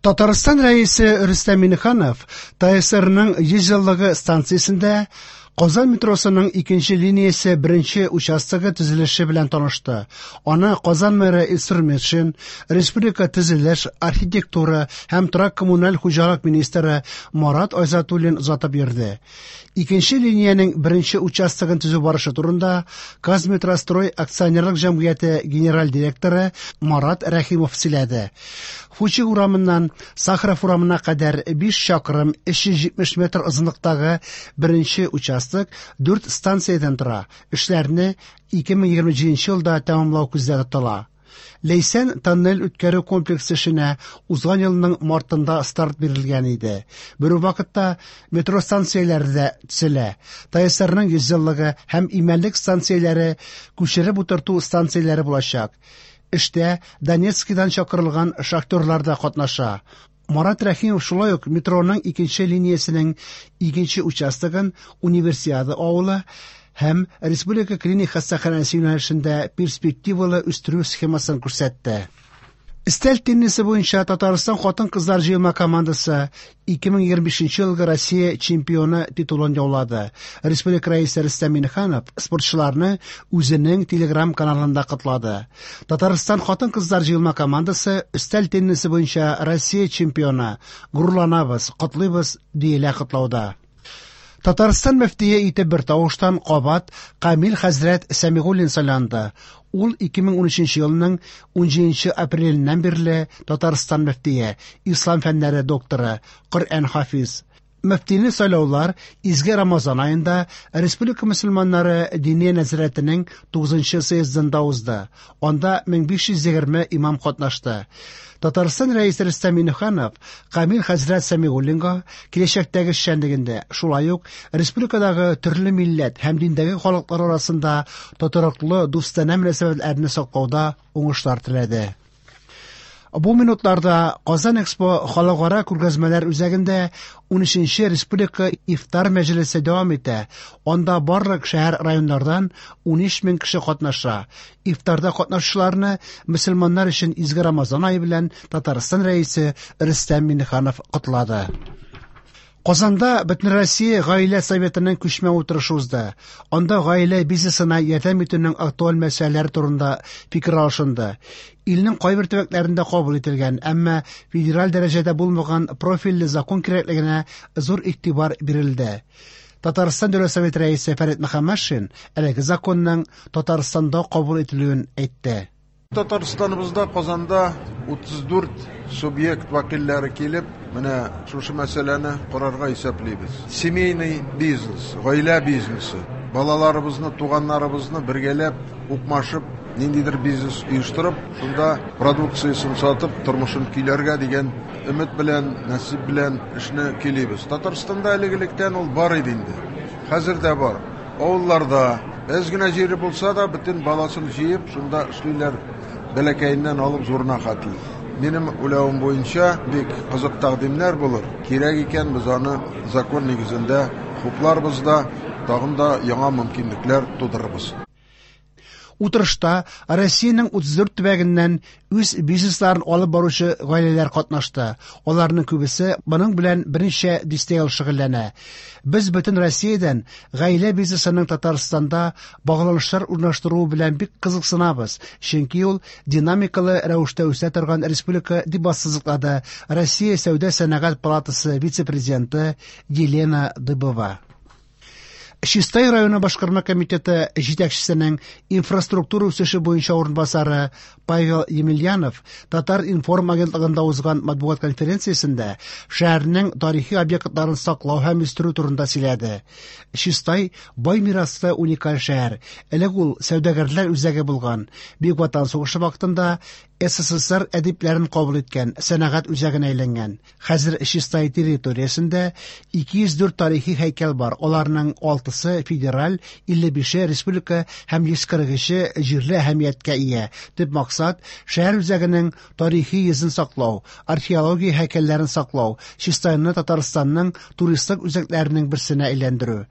Татарстан Рәисе Рөстәм Миңнеханов ТАССРның 100 еллыгы станциясендә Казан метросының икенче линиясе беренче участогы төзелеше белән танышты. Аны Казан мэры Илсур Метшин, республика төзелеш, архитектура һәм торак-коммуналь хуҗалык министры Марат Айзатуллин озатып йөрде. Икенче линиянең беренче участогын төзү барышы турында Казметрострой акционерлык җәмгыяте генераль директоры Марат Рәхимов сөйләде. Фучик урамыннан Сахаров урамына кадәр 5 чакрым 370 метр озынлыктагы беренче участок 4 станциядән тора. Эшләрне 2027 елда тәмамлау күздә тотыла. Ләйсән тоннель үткәрү комплексы эшенә узган елның мартында старт бирелгән иде. Бер үк вакытта метро станцияләре дә төзелә. ТАССРның 100 еллыгы һәм Имәнлек станцияләре күчереп утырту станцияләре булачак. Эштә Донецкидан чакырылган шахтерлар да катнаша. Марат Рәхимов шулай ук метроның икенче линиясенең икенче участогын Универсиада авылы һәм Республика клиник хастаханәсе юнәлешендә перспективалы үстерү схемасын күрсәтте. Өстәл теннисы буенча Татарстан хатын-кызлар җыелма командасы 2025 елгы Россия чемпионы титулын яулады. Республика Рәисе Рөстәм Миңнеханов спортчыларны үзенең Телеграм каналында котлады. Татарстан хатын-кызлар җыелма командасы өстәл теннисы буенча Россия чемпионы. Горурланабыз, котлыйбыз, диелә котлауда. Татарстан мөфтие итеп бер тавыштан кабат Камил хәзрәт Сәмигуллин сайланды. Ул 2013 елның 17 апреленнән бирле Татарстан мөфтие, ислам фәннәре докторы, Коръән хафиз. Мөфтине сайлаулар Изге Рамазан аенда Республика мөселманнары Диния нәзарәтенең 9 съездында узды. Анда 1520 имам катнашты. Татарстан Рәисе Рөстәм Миңнеханов Камил хәзрәт Сәмигуллинга киләчәктәге эшчәнлегендә, шулай ук республикадагы төрле милләт һәм диндәге халыклар арасында тотрыклы дустанә мөнәсәбәтләрне саклауда уңышлар теләде. Бу минутларда Казан Экспо халыкара күргәзмәләр үзәгендә 13нче республика ифтар мәҗлесе дәвам итә. Анда барлык шәһәр районнардан 13 мең кеше катнаша. Ифтарда катнашучыларны мөселманнар өчен изге Рамазан ае белән Татарстан Рәисе Рөстәм Миңнеханов котлады. Казанда Бөтенроссия гаилә советының күчмә утырышы узды. Анда гаилә бизнесына ярдәм итүнең актуаль мәсьәләләре турында фикер алышынды. Илнең кайбер төбәкләрендә кабул ителгән, әмма федераль дәрәҗәдә булмаган профильле закон кирәклегенә зур игътибар бирелде. Татарстан Дәүләт Советы рәисе Фәрит Мөхәммәтшин әлеге законның Татарстанда кабул ителүен әйтте. Татарстаныбызда Казанда 34 субъект вәкилләре килеп, менә шушы мәсьәләне карарга исәплибез. Семейный бизнес, гаилә бизнесы. Балаларыбызны, туганнарыбызны бергәләп, укмашып, ниндидер бизнес оештырып, шунда продукциясен сатып, тормышын көйләргә дигән өмет белән, насип белән эшне көйлибез. Татарстанда элек-электән ул бар иде инде. Хәзер дә бар. Авылларда әз генә җире булса да, бөтен баласын җыеп, шунда эшлиләр, бәләкәеннән алып зурына хәтле. Минем уйлавым буенча, бик кызык тәкъдимнәр булыр. Кирәк икән, без аны закон нигезендә хупларбыз да, тагын да яңа мөмкинлекләр тудырырбыз. Утырышта Россиянең 34 төбәгеннән үз бизнесларын алып баручы гаиләләр катнашты. Аларның күбесе моның белән берничә дистә ел шөгыльләнә. Без бөтен Россиядән гаилә бизнесының Татарстанда багланышлар урнаштыруы белән бик кызыксынабыз, чөнки ул динамикалы рәвештә үсә торган республика, дип ассызыклады Россия Сәүдә-сәнәгать палатасы вице-президенты Елена Дыбова. Чистай районы башкарма комитеты җитәкчесенең инфраструктура үсеше буенча урынбасары Павел Емельянов Татар-информ агентлыгында узган матбугат конференциясендә шәһәрнең тарихи объектларын саклау һәм үстерү турында сөйләде. Чистай бай мираслы уникаль шәһәр. Элек ул сәүдәгәрләр үзәге булган. Бөек Ватан сугышы вакытында СССР әдипләрен кабул иткән сәнәгать үзәгенә әйләнгән. Хәзер Чистай территориясендә 204 тарихи һәйкәл бар. Аларның 6-сы федераль, 55-е республика һәм 143-е җирле әһәмияткә ия. Төп максат шәһәр үзәгенең тарихи йөзен саклау, археология һәйкәлләрен саклау, Чистайны Татарстанның туристлык үзәкләренең берсенә әйләндерү.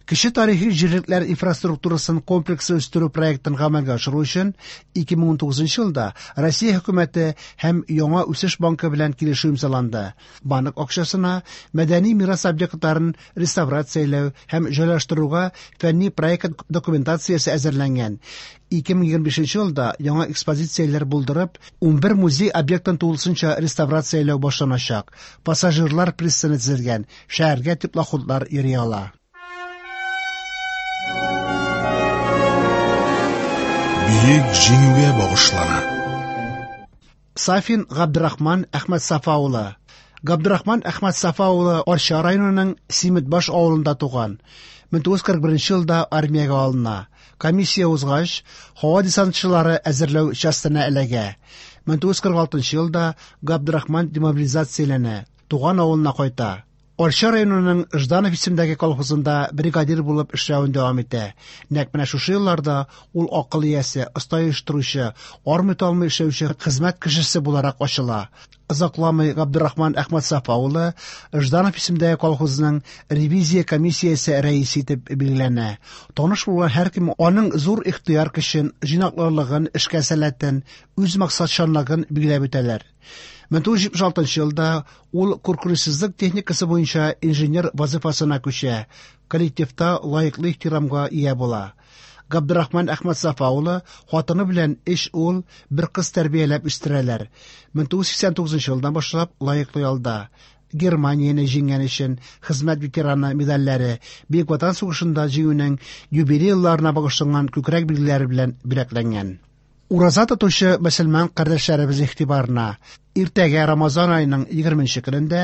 Кече тарихи җирлекләр инфраструктурасын комплекслы үстерү проектын гамәлгә ашыру өчен 2019 елда Россия хөкүмәте һәм Яңа үсеш банкы белән килешү имзаланды. Банк акчасына мәдәни мирас объектларын реставрацияләү һәм җайлаштыруга фәнни проект документациясе әзерләнгән. 2025 елда яңа экспозицияләр булдырып, 11 музей объектын тулысынча реставрацияләү башланачак. Пассажирлар пристане төзелгән, шәһәргә теплоходлар йөри ала. Бөек Җиңүгә багышлана. Сафин Габдрахман Әхмәтсафа улы. Габдрахман Әхмәтсафа улы Арча районының Симетбаш авылында туган. 1941 елда армиягә алына. Комиссия узгач, һава десантчылары әзерләү частена эләгә. 1946 елда Габдрахман демобилизацияләнә, туган авылына кайта. Арча районының Жданов исемендәге колхозында бригадир булып эшләвен дәвам итә. Нәкъ менә шушы елларда ул акыл иясе, оста оештыручы, армый-талмый эшләүче хезмәт кешесе буларак ачыла. Озакламый Габдрахман Әхмәтсафа улы Жданов исемендәге колхозның ревизия комиссиясе рәисе итеп билгеләнә. Таныш булган һәркем аның зур ихтыяр көчен, җыйнаклылыгын, эшкә сәләтен, үз максатчанлыгын билгеләп үтәләр. 1976 елда ул куркынычсызлык техникасы буенча инженер вазифасына күчә, коллективта лаеклы ихтирамга ия була. Габдрахман Әхмәтсафа улы хатыны белән өч ул, бер кыз тәрбияләп үстерәләр. 1989 елдан башлап лаеклы ялда. Германияне җиңгән өчен хезмәт ветераны медальләре, Бөек Ватан сугышында җиңүнең юбилей елларына багышланган күкрәк билгеләре белән бүләкләнгән. Ураза тотучы мөселман кардәшләребез игътибарына! Иртәгә Рамазан аеның 20 көнендә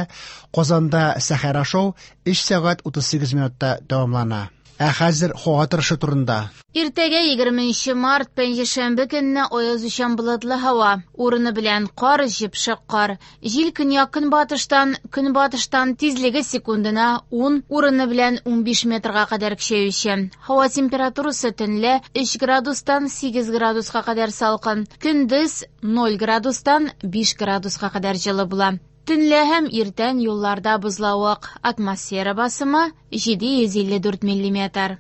Казанда сәхәр ашау 3 сәгать 38 минутта дәвамлана. Ә хәзер һава торышы турында. Иртәгә 20 март, пәнҗешәмбе көнне аязучан болытлы һава. Урыны белән кар, җепшек кар. Җил көньяк-көнбатыштан, көнбатыштан тизлеге секундына 10, урыны белән 15 метрга кадәр көчәюче. Һава температурасы төнлә 3 градустан 8 градуска кадәр салкын, көндез 0 градустан 5 градуска кадәр җылы була. Төнлә һәм иртән юлларда бозлавык. Атмосфера басымы 754 миллиметр.